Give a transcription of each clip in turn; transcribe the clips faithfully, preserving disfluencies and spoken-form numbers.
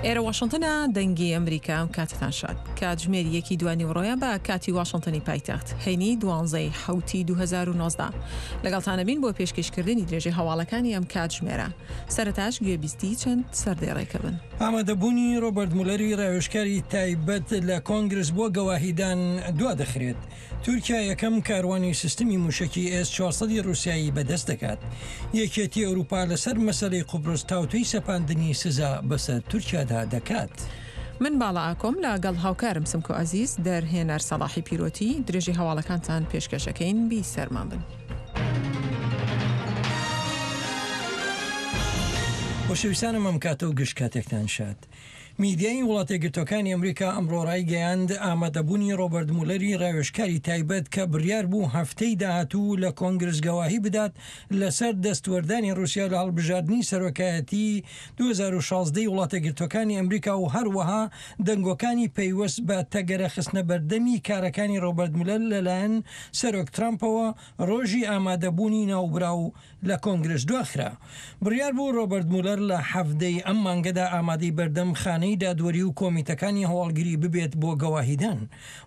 ئێرە واشنتنە، دەنگی ئەمریکا. ئەم کاتتان شاد. کاتژمێر یەکی دوانیوەڕۆیە بە کاتی واشنتنی پایتەخت، هەینی دوانزەی حوتی دوو هەزار و نۆزدە. لەگەڵتانە بین بۆ پێشکەشکردنی درێژەی هەواڵەکانی ئەم کاتژمێرە. سەرەتاش گوێبیستی چەند سەردێڕێکە بن. ئامادەبوونی ڕۆبەرت مولەری ڕاوێژکاری تایبەت لە کۆنگرس بۆ گەواهیدان دوا دەخرێت. تورکیا یەکەم کاروانی سیستمی موشکی ئێس چوارسەدی ڕووسیایی بەدەست دەکات. یەکێتی ئەوروپا لەسەر مەسەلەی قوبرس تاوتوێی سەپاندنی سزا بەسەر تورکیادا دەکات. من باڵا ئاکۆم لەگەڵ هاوکارم سمکۆ عەزیز، دەرهێنەر سەڵاحی پیرۆتی، درێژەی هەواڵەکانتان پێشکەشەکەین. بی سەرمان بن. خۆشەویستانم ئەم کاتە و گشت کاتێکتان شاد. میدیای وڵاتێکگرتوەکانی ئەمریکا ئەمڕۆ ڕایگەیاند ئامادەبوونی ڕۆبەرت مولەری ڕاوێژکاری تایبەت کە بڕیار بوو هەفتەی داهاتوو لە کۆنگرس گەواهی بدات لەسەر دەستوەردانی ڕووسیا لە هەڵبژاردنی سەرۆکایەتی دوو هەزار و شازدە وڵاتێکگرتوەکانی ئەمریکا و هەروەها دەنگۆکانی پەیوەست بە تەگەرە خستنە بەردەمی کارەکانی ڕۆبەرت مولەر لەلایەن سەرۆک ترامپەوە ڕۆژی ئامادەبوونی ناوبراو لە کۆنگرس دواخرا. بڕیار بوو ڕۆبەرت مولەر لە حەفتەی ئەم مانگەدا ئامادەی بەردەم خانەی دادوەری و کۆمیتەکانی هەواڵگری ببێت بۆ گەواهیدان.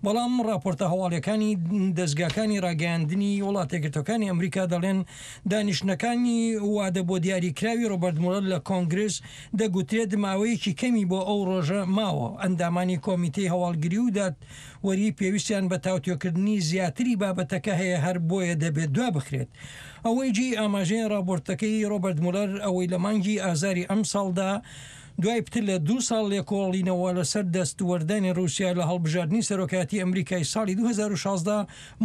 بەڵام راپۆرتە هەواڵیەکانی دەستگاکانی ڕاگەیاندنی وڵاتێکگرتوەکانی ئەمریکا دەڵێن دانیشتنەکانی وادە بۆ دیاریکراوی ڕۆبەرت مولەر لە کۆنگرس دەگوترێت ماوەیەکی کەمی بۆ ئەو ڕۆژە ماوە. ئەندامانی کۆمیتەی هەواڵگری و دادوەری پێویستیان بە تاوتوێکردنی زیاتری بابەتەکە هەیە، هەر بۆیە دەبێت دوا بخرێت. ئەوەی جێی ئاماژەیە راپۆرتەکەی ڕۆبەرت مولەر ئەوەی لە مانگی ئازاری ئەمساڵدا دوای پتر لە دوو ساڵ لێکۆڵینەوە لەسەر دەستوەردانی ڕووسیا لە هەڵبژاردنی سەرۆکایەتی ئەمریکای ساڵی دوو هەزار و شازدە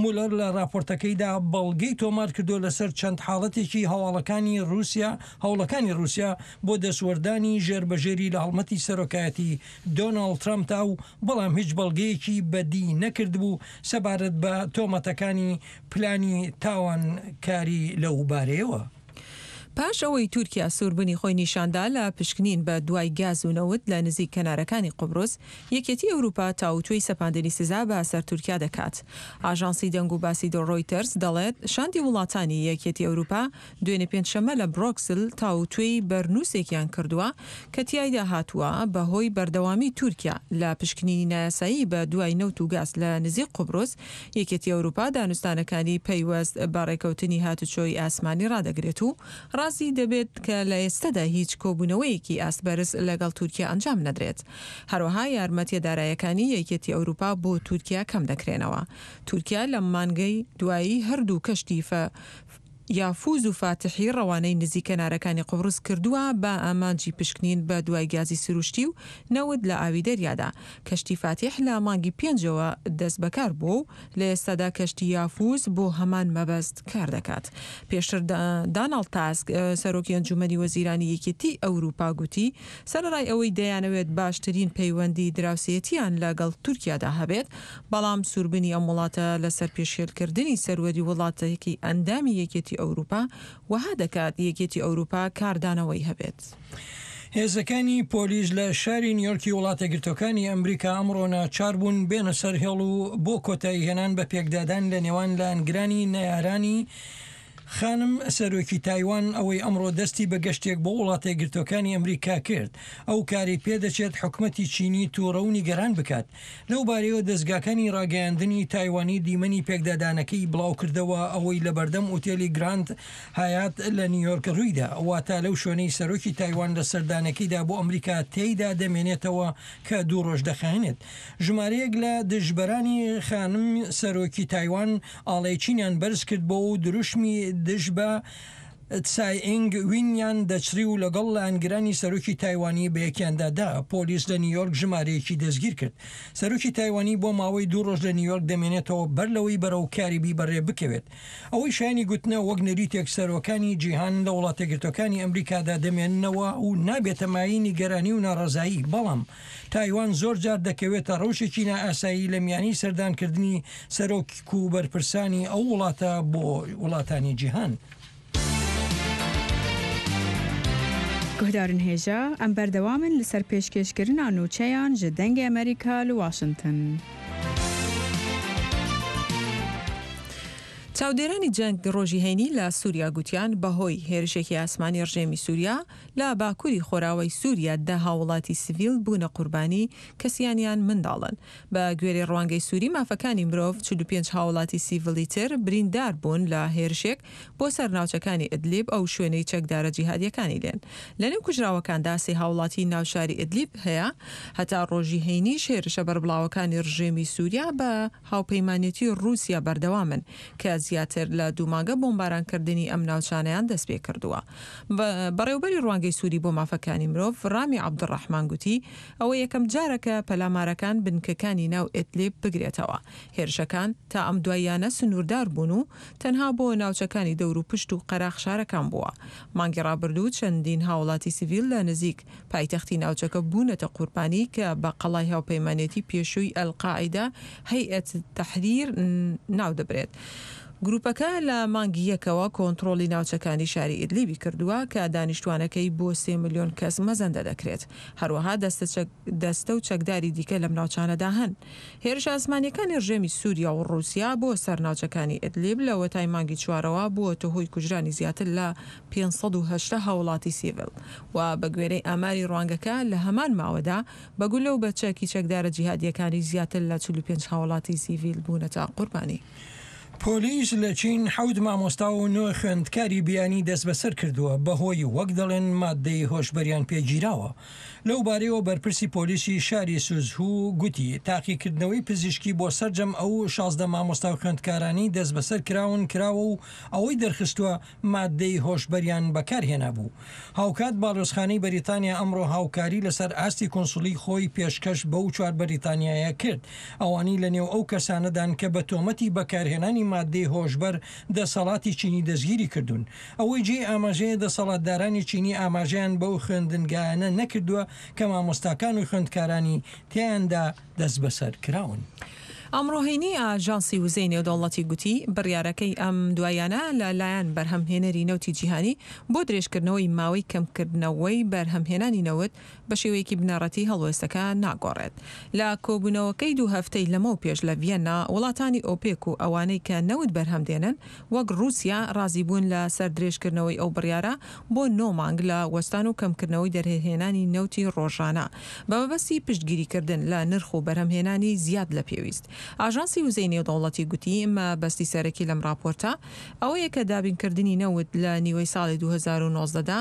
مولەر لە راپۆرتەکەیدا بەڵگەی تۆمار کردو لەسەر چەند حاڵەتێکی هەواڵەکانی ڕووسیا هەوڵەکانی ڕووسیا بۆ دەستوەردانی ژێربەژێری لە هەڵمەتی سەرۆکایەتی دۆناڵد ترامپدا و بەڵام هیچ بەڵگەیەکی بەدی نەکردبوو سەبارەت بە تۆمەتەکانی پلانی تاوانکاری لەو بارەیەوە. پاش ئەوەی تورکیا سووربوونی خۆی نیشاندا لە پشکنین بە دوای گاز و نەوت لە نزیک کەنارەکانی قوبرس، یەکێتی ئەوروپا تاوتوێی سەپاندنی سزا بە سەر تورکیا دەکات. ئاژانسی دەنگ و باسی ڕۆیتەرز دەڵێت شاندی وڵاتانی یەکێتی ئەوروپا دوێنێ پێنجشەممە لە برۆکسل تاوتوێی بەرنووسێکیان کردووە کە تیایدا هاتووە بەهۆی بەردەوامی تورکیا لە پشکنینی نایاسایی بە دوای نەوت و گاز لە نزیک قوبرس، یەکێتی ئەوروپا دانوستانەکانی پەیوەست بە ڕێکەوتنی هاتوچۆی ئاسمانی ڕادەگرێت و ڕازی دەبێت کە لە ئێستادا هیچ کۆبوونەوەیەکی ئاستبەرز لەگەڵ تورکیا ئەنجام نەدرێت. هەروەها یارمەتیە دارایەکانی یەکێتی ئەوروپا بۆ تورکیا کەم دەکرێنەوە. تورکیا لە مانگەی دوایی هەردوو کەشتی یافوز و فاتحی ڕەوانەی نزیک کەنارەکانی قوبرس کردووە بە ئامانجی پشکنین بە دوای گازی سروشتی و نەوت لە ئاوی دەریادا. کەشتی فاتیح لە مانگی پێنجەوە دەست بەکار بووە و لە ئێستادا کەشتی یافوز بۆ هەمان مەبەست کار دەکات. پێشتر داناڵد تاسک سەرۆکی ئەنجومەنی وەزیرانی یەکێتی ئەوروپا گوتی سەرەڕای ئەوەی دەیانەوێت باشترین پەیوەندی دراوسێتیان لەگەڵ تورکیادا هەبێت، بەڵام سووربنی ئەم وڵاتە لەسەر پێشێلکردنی سەروەری وڵاتێکی ئەندامی یەکێتی ئەوروپا وەها دەکات یەکێتی ئەوروپا کاردانەوەی هەبێت. هێزەکانی پۆلیس لە شاری نیویۆرکی وڵاتێکگرتوەکانی ئەمریکا ئەمڕۆ ناچار بوون بێنە سەر هێڵ و بۆ کۆتایی هێنان بە پێکدادان لە نێوان لایەنگرانی نەیارانی خانم سەرۆکی تایوان ئەوەی ئەمڕۆ دەستی بە گەشتێک بۆ وڵاتێکگرتوەکانی ئەمریکا کرد. ئەو کاری پێدەچێت حکومەتی چینی تووڕە و نیگەران بکات. لەو بارەیەوە دەستگاکانی ڕاگەیاندنی تایوانی دیمەنی پێکدادانەکەی بڵاو کردەوە ئەوەی لە بەردەم ئوتێلی گراند هایات لە نیویۆرک ڕوویدا، واتە لەو شوێنەی سەرۆکی تایوان لە سەردانەکەیدا بۆ ئەمریکا تێیدا دەمێنێتەوە کە دوو ڕۆژ دەخایەنێت. ژمارەیەک لە دژبەرانی خانم سەرۆکی تایوان ئاڵای چینیان بەرز کرد بۆ و دروشمی دژ بە تسای ئینگ وینیان دەچڕی و لەگەڵ لایەنگرانی سەرۆکی تایوانی بە یەکیاندا دا. پۆلیس لە نیویۆرک ژمارەیەکی دەستگیر کرد. سەرۆکی تایوانی بۆ ماوەی دوو ڕۆژ لە نیویۆرک دەمێنێتەوە بەر لەوەی بەرەو کاریبی بەڕێ بکەوێت. ئەوەی شایانی گوتنە وەک نەریتێک سەرۆکانی جیهان لە وڵاتێکگرتوەکانی ئەمریکادا دەمێننەوە و نابێتە مایەی نیگەرانی و ناڕەزایی، بەڵام تایوان زۆر جار دەکەوێتە ڕەوشێکی نائاسایی لە میانی سەردانکردنی سەرۆک و بەرپرسانی ئەو وڵاتە بۆ وڵاتانی جیهان. گوهدارن هێژا ئەم بەردەوامن لەسەر پێشکێشکردنا نوچەیان ji دەنگی ئەمریکا لە واشنگتن. چاودێرانی جەنگ ڕۆژی هەینی لە سووریا گوتیان بەهۆی هێرشێکی ئاسمانی ڕژێمی سووریا لە باکووری خۆراوای سووریا دە هاوڵاتی سڤیل بوونە قوربانی کە سیانیان منداڵن. بە گوێرەی ڕوانگەی سووری مافەکانی مرۆڤ چل و پێنج هاوڵاتی سیڤیلی تر بریندار بوون لە هێرشێک بۆ سەر ناوچەکانی ئیدلیب ئەو شوێنەی چەکدارە جیهادیەکانی لێن. لەنێو کوژراوەکاندا سێ هاوڵاتی ناو شاری ئیدلیب هەیە. هەتا ڕۆژی هەینیش هێرشە بەربڵاوەکانی ڕژێمی سووریا بە هاوپەیمانێتی ڕووسیا بەردەوامن کە زیاتر لە دوو مانگە بۆمبارانکردنی ئەم ناوچانەیان دەست پێ کردووە. بەڕێوبەری ڕوانگەی سووری بۆ مافەکانی مرۆڤ ڕامی عەبدولڕەحمان گوتی ئەوە یەکەم جارە کە پەلامارەکان بنکەکانی ناو ئیدلیب بگرێتەوە. هێرشەکان تا ئەم دواییانە سنووردار بوون و تەنها بۆ ناوچەکانی دەور و پشت و قەراخ شارەکان بووە. مانگی ڕابردوو چەندین هاوڵاتی سیڤیل لە نزیک پایتەختی ناوچەکە بوونەتە قوربانی کە بە قەڵای هاوپەیمانێتی پێشووی ئەلقاعیدە هەیئەت تەحریر ناودەبرێت. گروپەکە لە مانگی یەکەوە کۆنترۆڵی ناوچەکانی شاری ئیدلیبی کردووە کە دانیشتوانەکەی بۆ سێ ملیۆن کەس مەزەندە دەکرێت. هەروەها دەستە و چەکداری دیکە لەم ناوچانەدا هەن. هێرشە ئاسمانیەکانی ڕژێمی سووریا و ڕووسیا بۆ سەر ناوچەکانی ئیدلیب لەوەتای مانگی چوارەوە بووەتە هۆی کوژرانی زیاتر لە پێنج سەد و هەشتا هاوڵاتی سیڤیل و بە گوێرەی ئاماری ڕوانگەکە لە هەمان ماوەدا بە گولە و بە چەکی چەکدارە جیهادیەکانی زیاتر لە چل و پێنج هاوڵاتی سیڤیل بوونەتە قوربانی. پۆلیس لە چین حەوت مامۆستا و نۆ خوێندکاری بیانی دەستبەسەر کردووە بەهۆی وەک دەڵێن مادەی هۆشبەریان پێگیراوە. لەو بارەیەوە بەرپرسی پۆلیسی شاری سوزهو گوتی تاقیکردنەوەی پزیشکی بۆ سەرجەم ئەو شازدە مامۆستا و خوێندکارانی دەستبەسەر کراون کراوە و ئەوەی دەرخستووە مادەی هۆشبەریان بەکارهێنابوو. هاوکات باڵیۆزخانەی بەریتانیا ئەمڕۆ هاوکاری لەسەر ئاستی کونسولی خۆی پێشکەش بەو چوار بەریتانیایە کرد، ئەوانەی لەنێو ئەو کەسانەدان کە بە تۆمەتی بەکارهێنانی مادەی هۆشبەر دەسەڵاتی چینی دەستگیری کردوون. ئەوەی جێی ئاماژەیە دەسەڵاتدارانی چینی ئاماژەیان بەو خوێندنگایانە نەکردووە کە مامۆستاکان و خوێندکارانی تیاندا دەست بەسەر کراون. ئەمڕۆ هەینی ئاژانسی وزەی نێودەوڵەتی گوتی بڕیارەکەی ئەم دوایانە لە لایەن بەرهەمهێنەری نەوتی جیهانی بۆ درێژکردنەوەی ماوەی کەمکردنەوەی بەرهەمهێنانی نەوت بە شێوەیەکی بنەڕەتی هەڵوێستەکە ناگۆڕێت. لە کۆبوونەوەکەی دوو هەفتەی لەمەو پێش لە ڤیەننا وڵاتانی ئۆپێک و ئەوانەی کە نەوت بەرهەم دێنن وەک ڕووسیا ڕازی بوون لە سەر درێژکردنەوەی ئەو بڕیارە بۆ نۆ مانگ لە وەستان و کەمکردنەوەی دەرهێنانی نەوتی ڕۆژانە بە مەبەستی پشتگیریکردن لە نرخ و بەرهەمهێنانی زیاد لە پێویست. ئاژانسی وزەی نێودەوڵەتی گوتی مەبەستی سەرەکی لەم راپۆرتە ئەوەیە کە دابینکردنی نەوت لە نیوەی ساڵی دوو هەزار و نۆزدە دا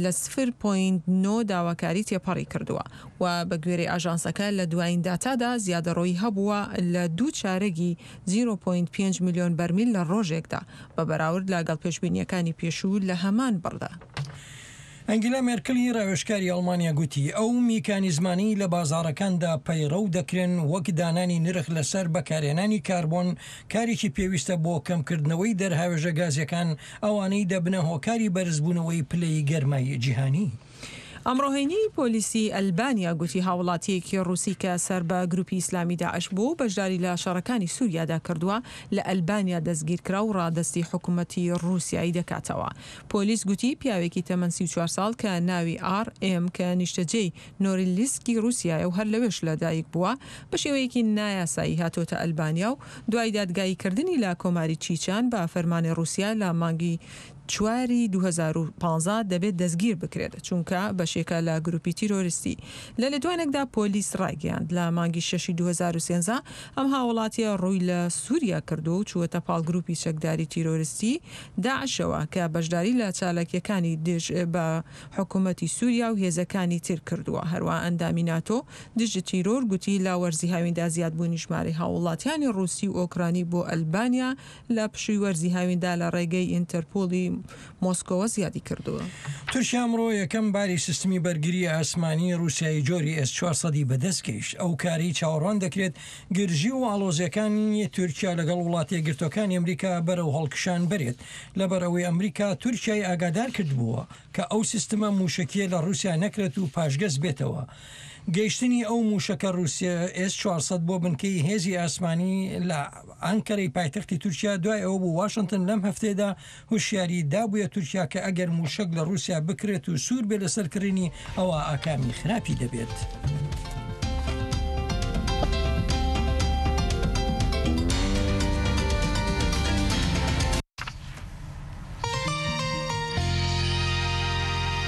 لە صفر پۆینت نۆ داواکاری تێپەڕی کردووە و بە گوێرەی ئاژانسەکە لە دوایین داتادا زیادەڕۆیی هەبووە لە دوو چارەگی زیرۆ پۆینت پێنج ملیۆن بەرمیل لە ڕۆژێکدا بە بەراورد لەگەڵ پێشبینیەکانی پێشوو لە هەمان بڕدا. ئەنگیلا مێرکلی ڕاوێژکاری ئەڵمانیا گوتی ئەو میکانیزمانەی لە بازاڕەکاندا پەیڕەو دەکرێن وەک دانانی نرخ لەسەر بەکارهێنانی کاربۆن کارێکی پێویستە بۆ کەمکردنەوەی دەرهاوێژە گازیەکان ئەوانەی دەبنە هۆکاری بەرزبوونەوەی پلەی گەرمای جیهانی. ئەمڕۆ هەینی پۆلیسی ئەلبانیا گوتی هاوڵاتیەکی ڕووسی کە سەر بە گروپی ئیسلامی داعش بوو بەشداری لە شەڕەکانی سووریادا کردووە لە ئەلبانیا دەستگیرکرا و ڕادەستی حکوومەتی ڕووسیایی دەکاتەوە. پۆلیس گوتی پیاوێکی تەمەن سی و چوار ساڵ کە ناوی ئار ئێم کە نیشتەجێی نۆریلیسکی ڕووسیایە و هەر لەوێش لەدایک بووە بە شێوەیەکی نایاسایی هاتۆتە ئەلبانیا و دوای دادگاییکردنی لە کۆماری چیچان بە فەرمانی ڕووسیا لە مانگی چواری دوو هەزار و پازدە دەبێت دەستگیر بکرێت چونکە بەشێکە لە گروپی تیرۆریستی. لە لێدوانێکدا پۆلیس ڕایگەیاند لە مانگی شەشی دوو هەزار و سێزدە ئەم هاوڵاتیە ڕووی لە سووریا کردووە و چووەتە پاڵ گروپی چەکداری تیرۆریستی داعشەوە کە بەشداری لە چالاکیەکانی دژ بە حکوومەتی سووریا و هێزەکانی تر کردووە. هەروە ئەندامی ناتۆ دژ تیرۆر گوتی لە وەرزی هاویندا زیادبوونی ژمارەی هاوڵاتیانی ڕووسی و ئۆکرانی بۆ ئەلبانیا لە پشووی وەرزی هاویندا لە ڕێگەی ئینتەرپۆلی مۆسکۆوە زیادی کردووە. تورکیا ئەمڕۆ یەکەم باری سیستمی بەرگری ئاسمانی ڕووسیایی جۆری ئێس چوار سەدی بەدەست گەیشت. ئەو کارەی چاوەڕوان دەکرێت گرژی و ئاڵۆزیەکانی تورکیا لەگەڵ وڵاتە یەکگرتووەکانی ئەمریکا بەرەو هەڵکشان بەرێت، لەبەر ئەوەی ئەمریکا تورکیای ئاگادار کردبووە کە ئەو سیستمە موشەکیە لە ڕووسیا نەکرێت و پاشگەز بێتەوە. گەیشتنی ئەو موشەکە ڕووسیا ئێس چوار سەد بۆ بنکەی هێزی ئاسمانی لە ئەنکەرەی پایتەختی تورکیا دوای ئەوە بوو واشنگتن لەم هەفتەیەدا هوشیاری دابووە تورکیا کە ئەگەر موشەک لە ڕووسیا بکرێت و سوور بێ لەسەر کڕینی ئەوە ئاکامی خراپی دەبێت.